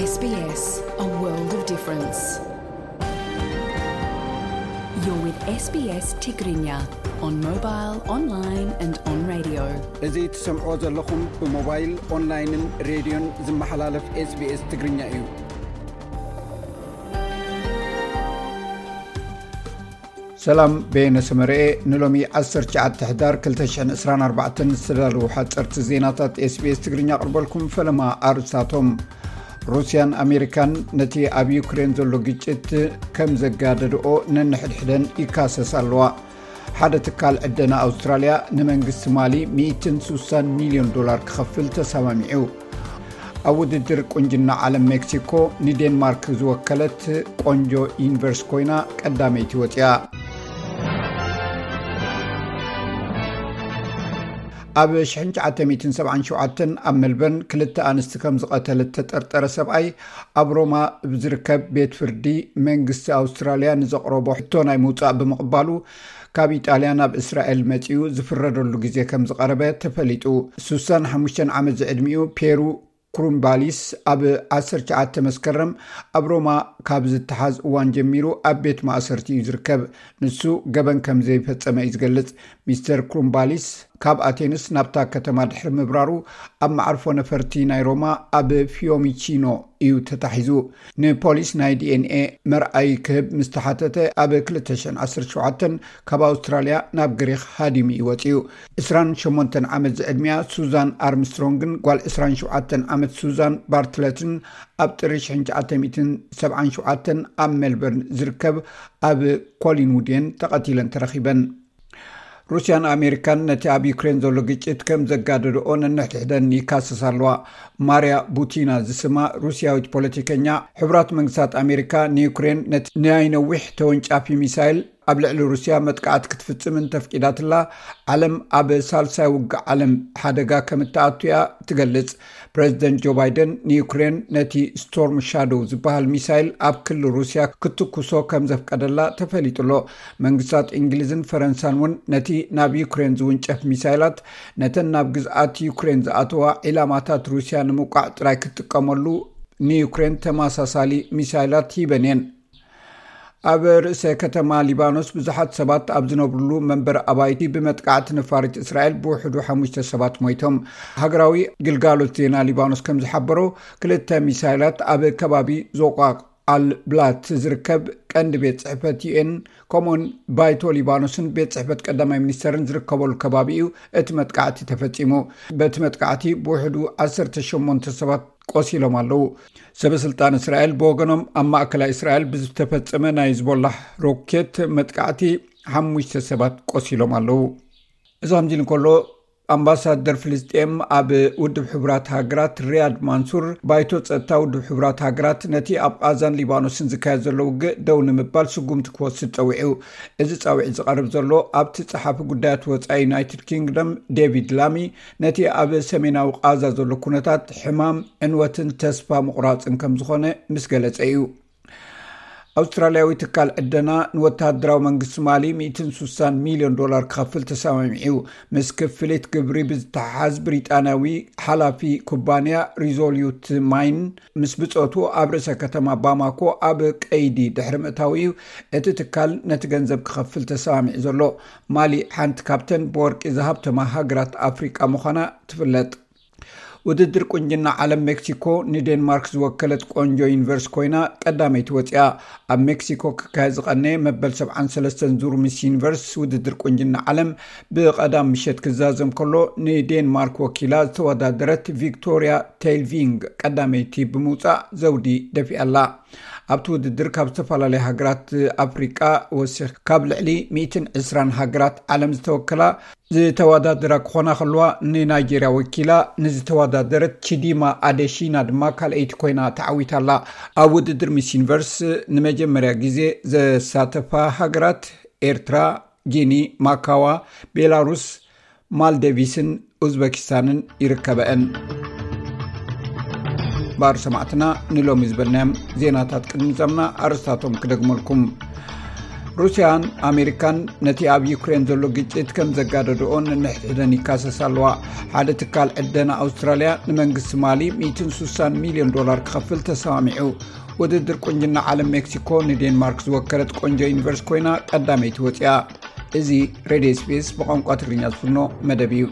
S B S, a world of difference. You're with S B S Tigrinya on mobile, online and on radio. እዚ ትሰምዕዎ ዘለኹም ብሞባይል፣ ኦንላይንን ሬድዮን ዝመሓላለፍ S B S ትግርኛ እዩ። ሰላም፣ በየነ ሰመረኤ። ንሎሚ ዓሰርተ ትሽዓተ ሕዳር ክልተ ሽሕን ዕስራን ኣርባዕተን ዝተዳለዉ ሓፀርቲ ዜናታት S B S ትግርኛ ኣቕርበልኩም። ፈለማ ኣርእስታቶም። ሩስያን ኣሜሪካን ነቲ ኣብ ዩክሬን ዘሎ ግጭት ከም ዘጋደድኦ ነንሕድሕደን ይካሰስ ኣለዋ። ሓደ ትካል ዕደና ኣውስትራልያ ንመንግስቲ ማሊ ሚእትን ስሳን ሚልዮን ዶላር ክኸፍል ተሰማሚዑ። ኣብ ውድድር ቁንጅና ዓለም ሜክሲኮ ንዴንማርክ ዝወከለት ቆንጆ ዩኒቨርስ ኮይና ቀዳመይቲ ወፂኣ። ኣብ ሽሕን ትሽዓተ ሚእትን ሰብዓን ሸውዓተን ኣብ ሜልበርን ክልተ ኣንስቲ ከም ዝቐተለ እተጠርጠረ ሰብኣይ ኣብ ሮማ ብዝርከብ ቤት ፍርዲ መንግስቲ ኣውስትራልያ ንዘቕረቦ ሕቶ ናይ ምውፃእ ብምቕባሉ ካብ ኢጣልያ ናብ እስራኤል መፂኡ ዝፍረደሉ ግዜ ከም ዝቐረበ ተፈሊጡ። ስሳን ሓሙሽተን ዓመት ዝዕድሚኡ ፔሩ ክሩምባሊስ ኣብ ዓሰርተ ትሽዓተ መስከረም ኣብ ሮማ ካብ ዝተሓዝ እዋን ጀሚሩ ኣብ ቤት ማእሰርቲ እዩ ዝርከብ። ንሱ ገበን ከም ዘይፈጸመ እዩ ዝገልጽ። ሚስተር ክሩምባሊስ ካብ ኣቴንስ ናብታ ከተማ ድሕሪ ምብራሩ ኣብ መዓርፎ ነፈርቲ ናይ ሮማ ኣብ ፊዮሚቺኖ እዩ ተታሒዙ። ንፖሊስ ናይ D N A መርኣይ ክህብ ምስ ተሓተተ ኣብ ክልተ ሽሕን ዓሰርተ ሸውዓተን ካብ ኣውስትራልያ ናብ ግሪኽ ሃዲሙ እዩ ወጺኡ። ዕስራን ሸሞንተን ዓመት ዝዕድሚኣ ሱዛን ኣርምስትሮንግን ጓል ዕስራን ሸውዓተን ዓመት ሱዛን ባርትለትን ኣብ ጥሪ ሽሕን ትሽዓተ ሚእትን ሰብዓን ሸውዓተን ኣብ ሜልበርን ዝርከብ ኣብ ኮሊንውድ እየን ተቐቲለን ተረኺበን። ሩስያን ኣሜሪካን ነቲ ኣብ ዩክሬን ዘሎ ግጭት ከም ዘጋደድኦ ነንሕድሕደን ይካሰሳ ኣለዋ። ማርያ ቡቲና ዝስማ ሩስያዊት ፖለቲከኛ፣ ሕቡራት መንግስታት ኣሜሪካ ንዩክሬን ነቲ ናይ ነዊሕ ተወንጫፊ ሚሳይል ኣብ ልዕሊ ሩስያ መጥቃዕቲ ክትፍጽም እንተፍቂዳትላ፣ ዓለም ኣብ ሳልሳይ ውግእ ዓለም ሓደጋ ከም እትኣቱ እያ ትገልጽ። ፕረዚደንት ጆ ባይደን ንዩክሬን ነቲ ስቶርም ሻዶው ዝበሃል ሚሳይል ኣብ ክሊ ሩስያ ክትኩሶ ከም ዘፍቀደላ ተፈሊጡ ኣሎ። መንግስታት እንግሊዝን ፈረንሳን እውን ነቲ ናብ ዩክሬን ዝውንጨፍ ሚሳይላት ነተን ናብ ግዝኣት ዩክሬን ዝኣተዋ ዒላማታት ሩስያ ንምውቃዕ ጥራይ ክትጥቀመሉ ንዩክሬን ተመሳሳሊ ሚሳይላት ሂበን እየን። ኣብ ርእሰ ከተማ ሊባኖስ ብዙሓት ሰባት ኣብ ዝነብሩሉ መንበር ኣባይቲ ብመጥቃዕቲ ነፋሪት እስራኤል ብውሕዱ ሓሙሽተ ሰባት ሞይቶም። ሃገራዊ ግልጋሎት ዜና ሊባኖስ ከም ዝሓበሮ፣ ክልተ ሚሳይላት ኣብ ከባቢ ዞቋቅ ኣል ብላት ዝርከብ ቀንዲ ቤት ጽሕፈት U N ከምኡውን ባይቶ ሊባኖስን ቤት ጽሕፈት ቀዳማይ ሚኒስተርን ዝርከበሉ ከባቢ እዩ እቲ መጥቃዕቲ ተፈጺሙ። በቲ መጥቃዕቲ ብውሕዱ ዓሰርተ ሸሞንተ ሰባት ቆሲሎም ኣለዉ። ሰበ ስልጣን እስራኤል ብወገኖም፣ ኣብ ማእከላይ እስራኤል ብዝተፈጸመ ናይ ዝቦላሕ ሮኬት መጥቃዕቲ ሓሙሽተ ሰባት ቆሲሎም ኣለዉ። እዚ ከምዚ ኢሉ እንከሎ፣ ኣምባሳደር ፍልስጤም ኣብ ውድብ ሕቡራት ሃገራት ሪያድ ማንሱር፣ ባይቶ ጸጥታ ውድብ ሕቡራት ሃገራት ነቲ ኣብ ቓዛን ሊባኖስን ዝካየድ ዘሎ ውግእ ደው ንምባል ስጉምቲ ክወስድ ጸዊዑ። እዚ ጻውዒት ዝቐርብ ዘሎ ኣብቲ ጸሓፊ ጉዳያት ወጻኢ ዩናይትድ ኪንግደም ዴቪድ ላሚ፣ ነቲ ኣብ ሰሜናዊ ቓዛ ዘሎ ኩነታት ሕማም፣ ዕንወትን ተስፋ ምቑራጽን ከም ዝኾነ ምስ ገለጸ እዩ። ኣውስትራልያዊ ትካል ዕደና ንወተሃደራዊ መንግስቲ ማሊ ሚእትን ስሳን ሚልዮን ዶላር ክኸፍል ተሰማሚዑ። ምስ ክፍሊት ግብሪ ብዝተሓሓዝ ብሪጣንያዊ ሓላፊ ኩባንያ ሪዞሉት ማይን ምስ ብጾቱ ኣብ ርእሰ ከተማ ባማኮ ኣብ ቀይዲ ድሕሪ ምእታው እዩ እቲ ትካል ነቲ ገንዘብ ክኸፍል ተሰማሚዑ ዘሎ። ማሊ ሓንቲ ካብተን ብወርቂ ዝሃብተማ ሃገራት ኣፍሪቃ ምዃና ትፍለጥ። ውድድር ቁንጅና ዓለም ሜክሲኮ ንዴንማርክ ዝወከለት ቆንጆ ዩኒቨርስ ኮይና ቀዳመይቲ ወፂኣ። ኣብ ሜክሲኮ ክካየድ ዝቐነየ መበል ሰብዓን ሰለስተን ዙር ሚስ ዩኒቨርስ ውድድር ቁንጅና ዓለም ብቐዳም ምሸት ክዛዘም ከሎ፣ ንዴንማርክ ወኪላ ዝተወዳደረት ቪክቶሪያ ቴልቪንግ ቀዳመይቲ ብምውፃእ ዘውዲ ደፊኣላ። ኣብቲ ውድድር ካብ ዝተፈላለያ ሃገራት ኣፍሪቃ ወሲኽ ካብ ልዕሊ ሚእትን ዕስራን ሃገራት ዓለም ዝተወከላ ዝተወዳደራ ክኾና ከለዋ፣ ንናይጄርያ ወኪላ ንዝተወዳደረት ቺዲማ ኣደሺና ድማ ካልኣይቲ ኮይና ተዓዊታ ኣላ። ኣብ ውድድር ሚስ ዩኒቨርስ ንመጀመርያ ግዜ ዘሳተፋ ሃገራት ኤርትራ፣ ጊኒ፣ ማካዋ፣ ቤላሩስ፣ ማልደቪስን ኡዝበኪስታንን ይርከበአን። ባር ሰማዕትና፣ ንሎሚ ዝበልናዮም ዜናታት ቅድሚ ምዛምና ኣርእስታቶም ክደግመልኩም። ሩስያን ኣሜሪካን ነቲ ኣብ ዩክሬን ዘሎ ግጭት ከም ዘጋደድኦ ነንሕድሕደን ይካሰሳ ኣለዋ። ሓደ ትካል ዕደና ኣውስትራልያ ንመንግስቲ ማሊ ሚእትን ሱሳን ሚልዮን ዶላር ክኸፍል ተሰማሚዑ። ውድድር ቁንጅና ዓለም ሜክሲኮ ንዴንማርክ ዝወከለት ቆንጆ ዩኒቨርስ ኮይና ቀዳመይቲ ወፂኣ። እዚ ሬድዮ ስፔስ ብቋንቋ ትግርኛ ዝፍኖ መደብ እዩ።